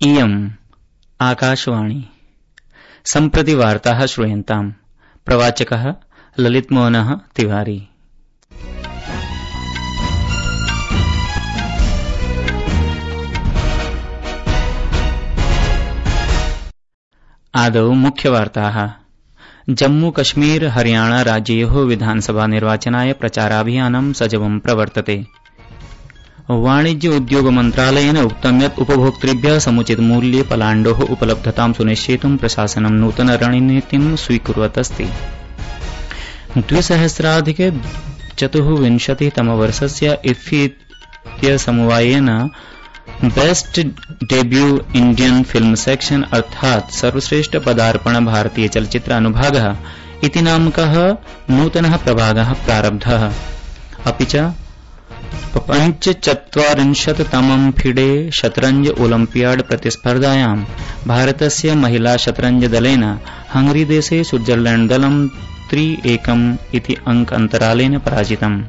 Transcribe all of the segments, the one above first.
इयम् आकाशवाणी सम्प्रति वार्ताः श्रूयन्ताम्। प्रवाचकः ललितमोहनः तिवारी। आदौ मुख्यवार्ताः। जम्मू कश्मीर हरियाणा राज्ययोः विधानसभा निर्वाचनाय प्रचाराभियानं सजवं प्रवर्तते। वाणिज्य उद्योग मन्त्रालयेन उक्तं यत् उपभोक्तृभ्यः समुचित मूल्ये पलाण्डोः उपलब्धतां सुनिश्चेतुं प्रशासनं नूतन रणनीतिं स्वीकुर्वत् अस्ति। 2024-तमवर्षस्य इफ्फी इत्यसमवायेन best debut Indian film section अर्थात् सर्वश्रेष्ठ पदार्पण भारतीय चलचित्र अनुभागः इति नामकः नूतनः प्रभागः प्रारब्धः। अपि च 45तमं फिडे शतरंज ओलम्पियाड प्रतिस्पर्धायां भारतस्य महिला शतरंज दलेन हंगरी देशे स्विट्जरलैंड दलं 3-1 इति अंक अन्तरालेन पराजितम्।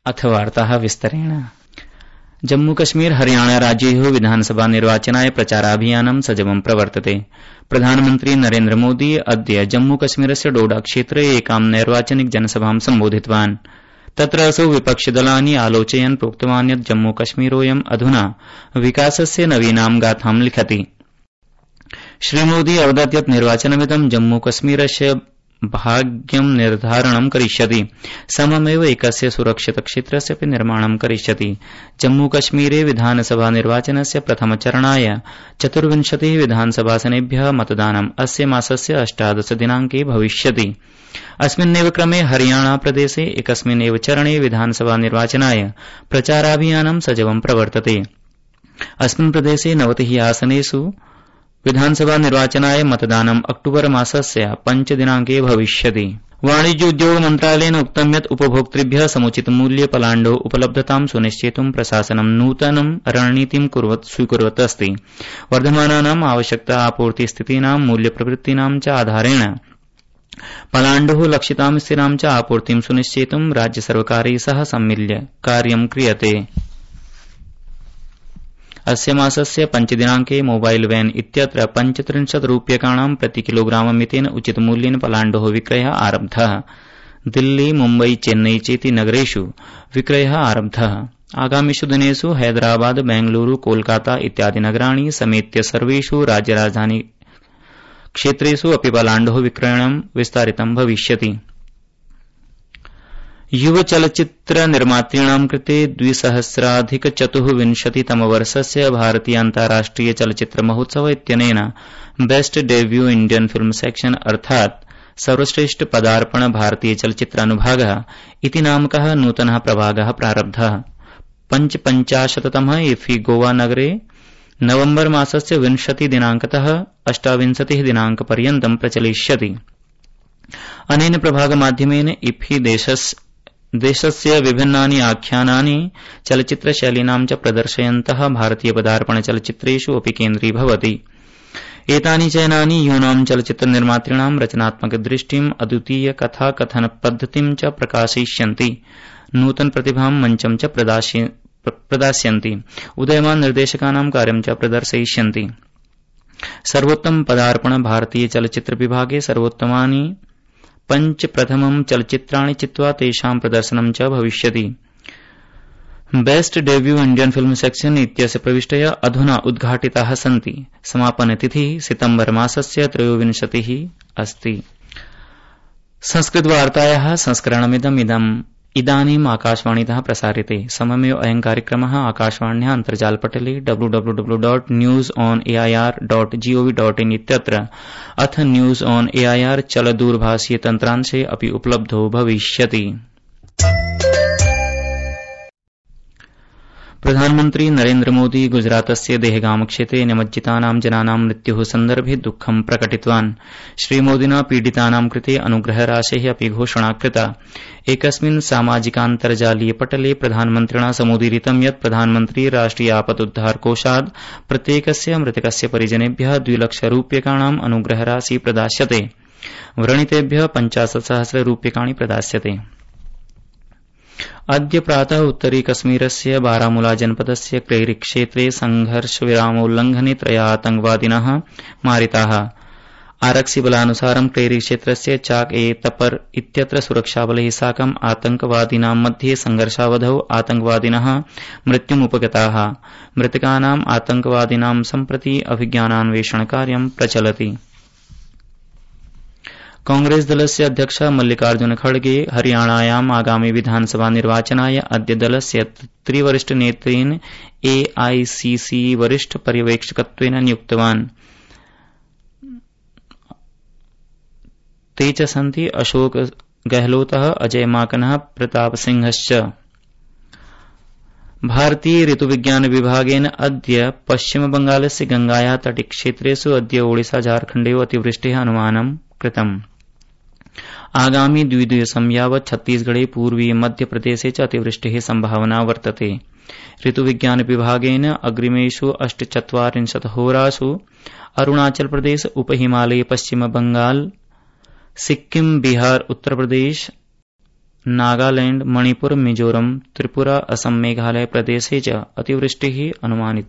अथ वार्ताः विस्तरेण। जम्मू कश्मीर हरियाणा राज्ययोः विधानसभा निर्वाचनाय प्रचाराभियानं सजवं प्रवर्तते। प्रधानमन्त्री नरेन्द्र मोदी अद्य जम्मू कश्मीरस्य डोडा क्षेत्रे एकां नैर्वाचनिक जनसभां सम्बोधितवान्। तत्र असौ विपक्षिदलानि आलोचयन् प्रोक्तवान् यत् जम्मू कश्मीरोऽयम् अधुना विकासस्य नवीनां गाथां लिखति। श्रीमोदी अवदत् यत् निर्वाचनमिदं जम्मू कश्मीरस्य भाग्यं निर्धारणं करिष्यति, सममेव एकस्य सुरक्षित क्षेत्रस्य अपि निर्माणं करिष्यति। जम्मू कश्मीरे विधानसभा निर्वाचनस्य प्रथमचरणाय 24 विधानसभासनेभ्यः मतदानम् अस्य मासस्य 18 दिनाङ्के भविष्यति। अस्मिन्नेव क्रमे हरियाणा प्रदेशे एकस्मिन्नेव चरणे विधानसभा निर्वाचनाय प्रचाराभियानं सजवं प्रवर्तते। अस्मिन् प्रदेशे 90 आसनेषु विधानसभा निर्वाचनाय मतदानम् अक्टूबर मासस्य 5 दिनाङ्के भविष्यति। वाणिज्य उद्योग मन्त्रालयेन उक्तं यत् उपभोक्तृभ्यः समुचित मूल्ये पलाण्डोः उपलब्धतां सुनिश्चेतुं प्रशासनं नूतनं रणनीतिं स्वीकुर्वत् अस्ति। वर्धमानानाम् आवश्यकता आपूर्ति स्थितीनां मूल्यप्रवृत्तीनां च आधारेण पलाण्डोः लक्षितां स्थिरां च आपूर्तिं सुनिश्चेतुं राज्यसर्वकारैः सह सम्मिल्य कार्यं क्रियते। अस्य मासस्य 5 दिनाङ्के मोबाइल वैन इत्यत्र 35 रूप्यकाणां प्रति किलोग्राम मितेन उचित मूल्येन पलाण्डोः विक्रयः आरब्धः। दिल्ली, मुम्बई, चेन्नई चेति नगरेषु विक्रयः आरब्धः। आगामिषु दिनेषु हैदराबाद, बेंगलुरू, कोलकाता इत्यादि नगराणि समेत्य सर्वेषु राज्यराजधानी क्षेत्रेषु अपि पलाण्डोः विक्रयणं विस्तारितं भविष्यति। युव चलचित्र निर्मातॄणां कृते 2024-तमवर्षस्य भारतीय अन्ताराष्ट्रिय चलचित्र महोत्सव इत्यनेन best debut Indian film section अर्थात् सर्वश्रेष्ठ पदार्पण भारतीय चलचित्र अनुभागः इति नामकः नूतनः प्रभागः प्रारब्धः। 55तमः इफ्फी गोवा नगरे नवम्बर मासस्य 20 दिनाङ्कतः 28 दिनाङ्कपर्यन्तं प्रचलिष्यति। अनेन प्रभागमाध्यमेन इफ्फी देशस्य विभिन्नानि आख्यानानि चलचित्रशैलीनां च प्रदर्शयन्तः भारतीय पदार्पण चलचित्रेषु अपि केन्द्रीभवति। एतानि चयनानि यूनां चलचित्र निर्मातॄणां रचनात्मक दृष्टिम्, अद्वितीय कथा कथन पद्धतिं च प्रकाशयिष्यन्ति, नूतन प्रतिभां मञ्चं च प्रदास्यन्ति, उदयमान निर्देशकानां कार्यं च प्रदर्शयिष्यन्ति। सर्वोत्तम पदार्पण भारतीय चलचित्र विभागे सर्वोत्तमानि 5 प्रथमं चलचित्राणि चित्वा तेषां प्रदर्शनं च भविष्यति। Best debut Indian film section इत्यस्य प्रविष्टयः अधुना उद्घाटिताः सन्ति। समापनतिथिः सितम्बर मासस्य 23 अस्ति। संस्कृतवार्तायाः संस्करणमिदम् इदानीम् आकाशवाणीतः प्रसार्यते। सममेव अयं कार्यक्रमः आकाशवाण्याः अन्तर्जालपटले www.newsonair.gov.in इत्यत्र अथ न्यूज ऑन एआईआर चलदूरभाषीय तन्त्रांशे अपि उपलब्धो भविष्यति। प्रधानमन्त्री नरेन्द्र मोदी गुजरातस्य देहगाम क्षेत्रे निमज्जितानां जनानां मृत्योः सन्दर्भे दुःखं प्रकटितवान्। श्रीमोदिना पीडितानां कृते अनुग्रहराशेः अपि घोषणा कृता। एकस्मिन् सामाजिकान्तर्जालीय पटले प्रधानमन्त्रिणा समुदीरितं यत् प्रधानमन्त्री राष्ट्रिय आपदुद्धार कोषात् प्रत्येकस्य मृतकस्य परिजनेभ्यः 2 लाख रूप्यकाणाम् अनुग्रहराशि प्रदास्यते। व्रणितेभ्यः 50,000 रूप्यकाणि प्रदास्यते। अद्य प्रातः उत्तरी कश्मीरस्य बारामूला जनपदस्य क्रेरी क्षेत्रे संघर्षविरामोल्लंघने 3 आतंकवादिनः मारिताः। आरक्षिबलानुसारं क्रेरी क्षेत्रस्य चाक ए तपर इत्यत्र सुरक्षाबलैः साकम् आतंकवादिनां मध्ये संघर्षावधौ आतंकवादिनः मृत्युमुपगताः। मृतकानाम् आतंकवादिनां सम्प्रति अभिज्ञानान्वेषणकार्यं प्रचलति। कांग्रेस दलस्य अध्यक्ष मल्लिकार्जुन खड़गे हरियाणायाम् आगामि विधानसभा निर्वाचनाय अद्य दलस्य त्रिवरिष्ठ नेतृत्वेन एआईसीसी वरिष्ठ पर्यवेक्षकत्वेन नियुक्तवान्। ते च सन्ति अशोक गहलोतः, अजय माकनः, प्रताप सिंहश्च। भारतीय ऋतुविज्ञान विभागेन अद्य पश्चिम बंगालस्य गंगाया तटीक्षेत्रेषु अद्य ओडिशा झारखण्डयोः अतिवृष्टेः अनुमानं कृतम्। आगामि 2 दिवसं यावत् छत्तीसगढ़े पूर्वीय मध्यप्रदेशे च अतिवृष्टेः सम्भावना वर्तते। ऋतुविज्ञान विभागेन अग्रिमेषु 48 होरासु अरुणाचल प्रदेश, उपहिमालय, पश्चिम बंगाल, सिक्किम, बिहार, उत्तर प्रदेश, नागालैंड, मणिपुर, मिजोरम, त्रिपुरा, असम, मेघालय प्रदेशे च अतिवृष्टिः अनुमानित।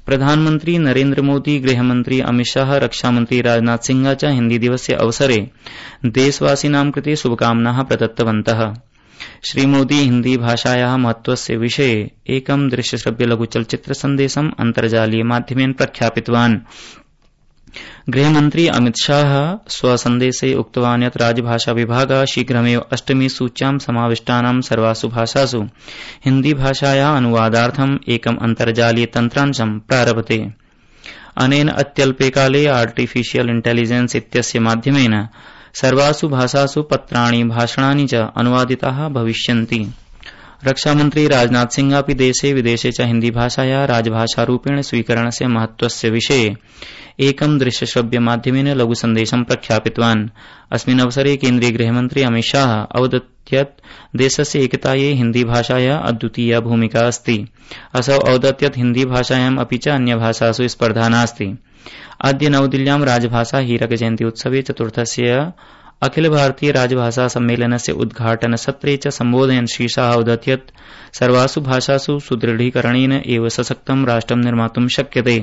प्रधानमंत्री नरेन्द्र मोदी, गृहमंत्री अमित शाह, रक्षामंत्री राजनाथ सिंह च हिन्दी दिवसस्य अवसरे देशवासिनां कृते शुभकामनाः प्रदत्तवन्तः। श्रीमोदी हिन्दी भाषायाः महत्त्वस्य विषये एकं दृश्यश्रव्य लघुचलच्चित्र सन्देशम् अन्तर्जालीय माध्यमेन प्रख्यापितवान्। गृहमंत्री अमित शाह स्वसन्देशे उक्तवान् यत् राजभाषा विभागः शीघ्रमेव 8मी सूच्यां समाविष्टानां सर्वासु भाषासु हिन्दी भाषायाः अनुवादार्थम् एकम् अन्तर्जालीय तन्त्रांशं प्रारभते। अनेन अत्यल्पे काले आर्टिफिशियल इंटेलिजेंस इत्यस्य माध्यमेन सर्वासु भाषासु पत्राणि, भाषणानि च अनुवादिताः भविष्यन्ति। रक्षामंत्री राजनाथ सिंह अपि देशे विदेशे च हिन्दी भाषायाः राजभाषारूपेण स्वीकरणस्य महत्त्वस्य विषये एकं दृश्यश्रव्य माध्यमेन लघुसन्देशं प्रख्यापितवान्। अस्मिन् अवसरे केन्द्रीय गृहमन्त्री अमित शाह अवदत् यत् देशस्य एकतायै हिन्दी भाषायाः अद्वितीया भूमिका अस्ति। असौ अवदत् यत् हिन्दी भाषायाम् अपि च अन्यभाषासु स्पर्धा नास्ति। अद्य नवदिल्ल्यां राजभाषा हीरक जयन्ती उत्सवे 4स्य अखिल भारतीय राजभाषा सम्मेलनस्य उद्घाटन सत्रे च सम्बोधयन् श्री शाह अवदत् यत् सर्वासु भाषासु सुदृढीकरणेन एव सशक्तं राष्ट्रं निर्मातुं शक्यते।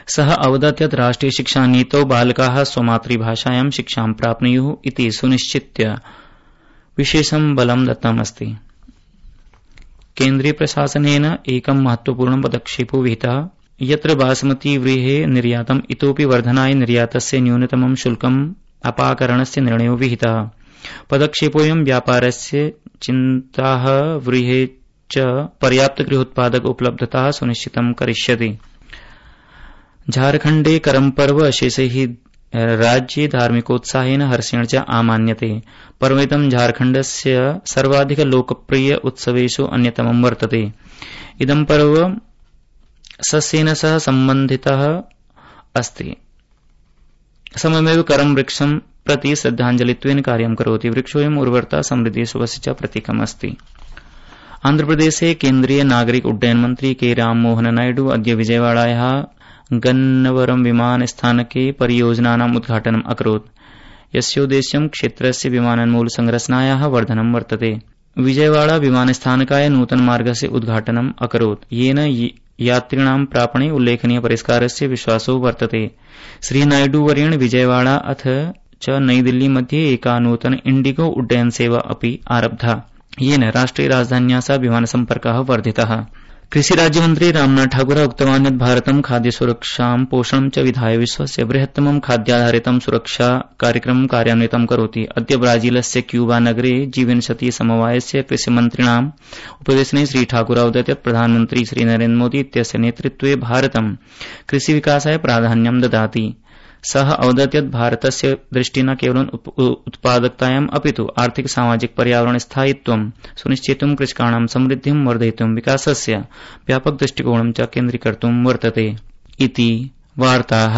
सः अवदत् यत् राष्ट्रिय शिक्षा नीतौ बालकाः स्वमातृभाषायां शिक्षां प्राप्नुयुः इति सुनिश्चित्य विशेषं बलं दत्तमस्ति। केन्द्रीय प्रशासनेन एकं महत्वपूर्णं पदक्षेपो विहितः यत्र बासमती व्रीहेः निर्यातम् इतोपि वर्धनाय निर्यातस्य न्यूनतमं शुल्कम् अपाकरणस्य निर्णयो विहितः। पदक्षेपोऽयं व्यापारस्य चिन्ताः व्रीहेः च पर्याप्त गृहोत्पादक उपलब्धताः सुनिश्चितं करिष्यति। झारखण्डे करम पर्व अशेषैः राज्ये धार्मिकोत्साहेन हर्षेण च आमान्यते। पर्वेदं झारखण्डस्य सर्वाधिक लोकप्रिय उत्सवेषु अन्यतमं वर्तते। इदं पर्व सस्येन सह सम्बन्धितः अस्ति। सममेव करम वृक्षं प्रति श्रद्धाञ्जलित्वेन कार्यं करोति। वृक्षोऽयम् उर्वरता, समृद्धि, शुभस्य च प्रतीकम् अस्ति। आन्ध्रप्रदेशे केन्द्रीय नागरिक उड्डयन मंत्री के राममोहन नायडू अद्य विजयवाड़ायाः गन्नवरम विमानस्थानके परियोजनानाम् उद्घाटनम् अकरोत्, यस्योद्देश्यं क्षेत्रस्य विमानन्मूल संरचनायाः वर्धनं वर्तते। विजयवाड़ा विमानस्थानकाय नूतनमार्गस्य उद्घाटनम् अकरोत्, येन यात्रिणां प्रापणे उल्लेखनीय परिष्कारस्य विश्वासो वर्तते। श्री नायडूवर्येण विजयवाड़ा अथ च नई दिल्ली मध्ये एका नूतन इंडिगो उड्डयन सेवा अपि आरब्धा, येन राष्ट्रिय राजधान्याः सह विमानसम्पर्कः वर्धितः। कृषि राज्यमन्त्री रामनाथ ठाकुर उक्तवान् यत् भारतं खाद्यसुरक्षां, पोषणं च विधाय विश्वस्य बृहत्तमं खाद्याधारितं सुरक्षा कार्यक्रमं कार्यान्वितं करोति। अद्य ब्राजीलस्य क्यूबा नगरे G20 समवायस्य कृषिमन्त्रिणाम् उपवेशने श्री ठाकुर अवदत् यत् प्रधानमन्त्री श्री नरेन्द्र मोदी इत्यस्य नेतृत्वे भारतं कृषिविकासाय प्राधान्यं ददाति। सः अवदत् यत् भारतस्य दृष्टि न केवलं उत्पादकतायाम् अपितु आर्थिक सामाजिक पर्यावरण स्थायित्वं सुनिश्चेतुं, कृषकाणां समृद्धिं वर्धयितुं, विकासस्य व्यापक दृष्टिकोणं च केन्द्रीकर्तुं वर्तते इति वार्ताः।